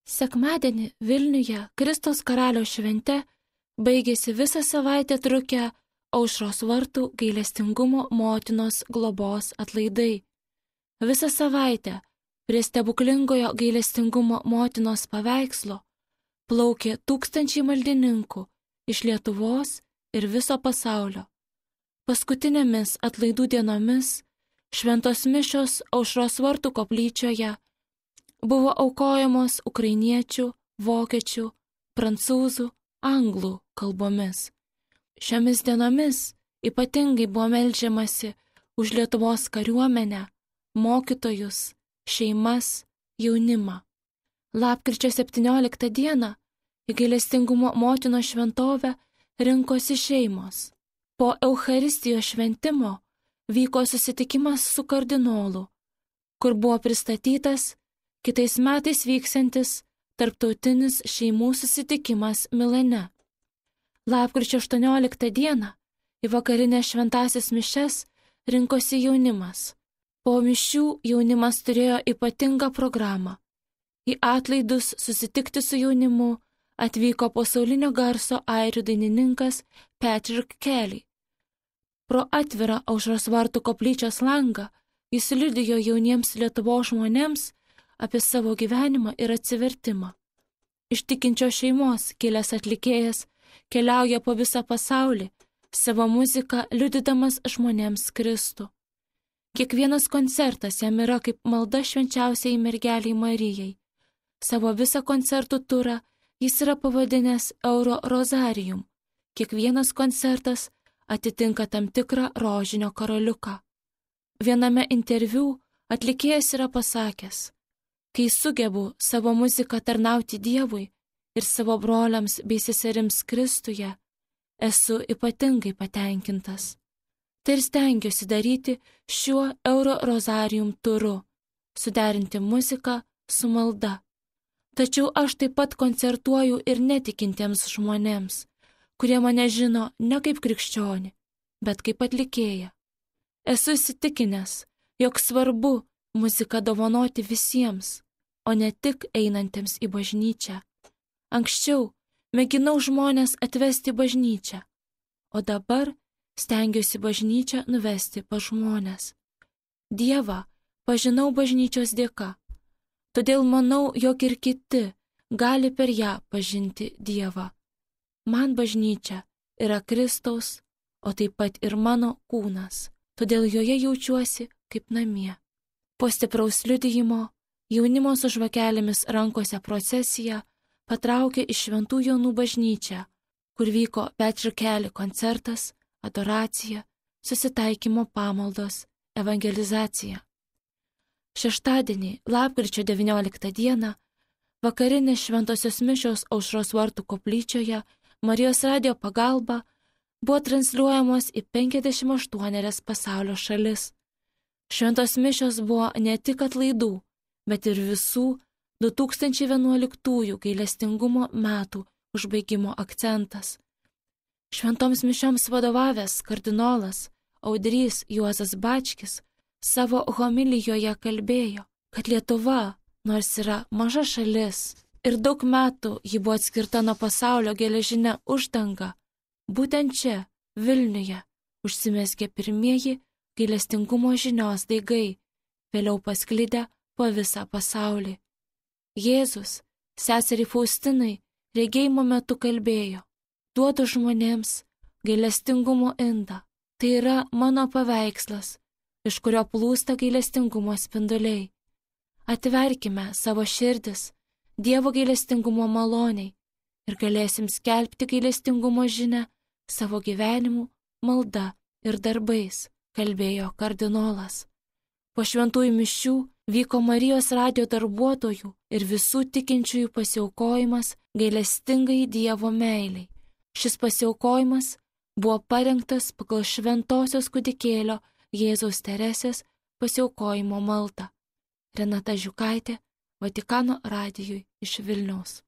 Sekmadienį Vilniuje Kristaus karalio švente baigėsi visą savaitę trukę Aušros vartų gailestingumo motinos globos atlaidai. Visą savaitę prie stebuklingojo gailestingumo motinos paveikslo plaukė tūkstančiai maldininkų iš Lietuvos ir viso pasaulio. Paskutinėmis atlaidų dienomis šventos mišios Aušros vartų koplyčioje buvo aukojamos ukrainiečių, vokiečių, prancūzų, anglų kalbomis. Šiomis dienomis ypatingai buvo meldžiamasi už Lietuvos kariuomenę, mokytojus, šeimas, jaunimą. Lapkričio 17 dieną į gailestingumo motinos šventovę rinkosi šeimos. Po Eucharistijos šventimo vyko susitikimas su kardinolu, kur buvo pristatytas kitais metais vyksiantis tarptautinis šeimų susitikimas Milane. Lapkričio 18 dieną į vakarinės šventąsias mišias rinkosi jaunimas. Po mišių jaunimas turėjo ypatingą programą. Į atlaidus susitikti su jaunimu atvyko pasaulinio garso airių dainininkas Patrick Kelly. Pro atvirą Aušros vartų koplyčios langą jis liudijo jauniems Lietuvos žmonėms apie savo gyvenimą ir atsivertimą. Iš tikinčios šeimos kilęs atlikėjas keliauja po visą pasaulį, savo muziką liudydamas žmonėms Kristų. Kiekvienas koncertas jam yra kaip malda švenčiausiai mergeliai Marijai. Savo visą koncertų turą jis yra pavadinęs Euro Rozarium. Kiekvienas koncertas atitinka tam tikrą rožinio karoliuką. Viename interviu atlikėjas yra pasakęs: kai sugebu savo muziką tarnauti Dievui ir savo broliams bei seserims Kristuje, esu ypatingai patenkintas. Tai ir stengiuosi daryti šiuo Euro Rozarium turu, suderinti muziką su malda. Tačiau aš taip pat koncertuoju ir netikintiems žmonėms, kurie mane žino ne kaip krikščionį, bet kaip atlikėją. Esu įsitikinęs, jog svarbu muziką dovanoti visiems, o ne tik einantiems į bažnyčią. Anksčiau mėginau žmonės atvesti į bažnyčią, o dabar stengiuosi bažnyčią nuvesti pas žmonės. Dievą pažinau bažnyčios dėka, todėl manau, jog ir kiti gali per ją pažinti Dievą. Man bažnyčia yra Kristaus, o taip pat ir mano kūnas, todėl joje jaučiuosi kaip namie. Po stipraus liudijimo jaunimo su žvakelėmis rankose procesija patraukė į Šventų Jonų bažnyčią, kur vyko Patrick Kelly koncertas, adoracija, susitaikymo pamaldos, evangelizacija. Šeštadienį, lapkričio 19 dieną, vakarinės šventosios mišios Aušros vartų koplyčioje Marijos radijo pagalba buvo transliuojamos į 58 pasaulio šalis. Šventos mišios buvo ne tik atlaidų, bet ir visų 2011 gailestingumo metų užbaigimo akcentas. Šventoms mišioms vadovavęs kardinolas Audrys Juozas Bačkis savo homilijoje kalbėjo, kad Lietuva, nors yra maža šalis ir daug metų ji buvo atskirta nuo pasaulio geležinė uždanga, būtent čia, Vilniuje, užsimezgė pirmieji gailestingumo žinios daigai, vėliau pasklidę po visą pasaulį. Jėzus seseriai Faustinai regėjimo metu kalbėjo: duodu žmonėms gailestingumo indą, tai yra mano paveikslas, iš kurio plūsta gailestingumo spinduliai. Atverkime savo širdis Dievo gailestingumo maloniai ir galėsim skelbti gailestingumo žinią savo gyvenimu, malda ir darbais, kalbėjo kardinolas. Po šventųjų mišių vyko Marijos radijo darbuotojų ir visų tikinčiųjų pasiaukojimas gailestingai Dievo meiliai. Šis pasiaukojimas buvo parengtas pagal šventosios kūdikėlio Jėzaus Teresės pasiaukojimo maldą. Renata Žiukaitė, Vatikano radijui iš Vilniaus.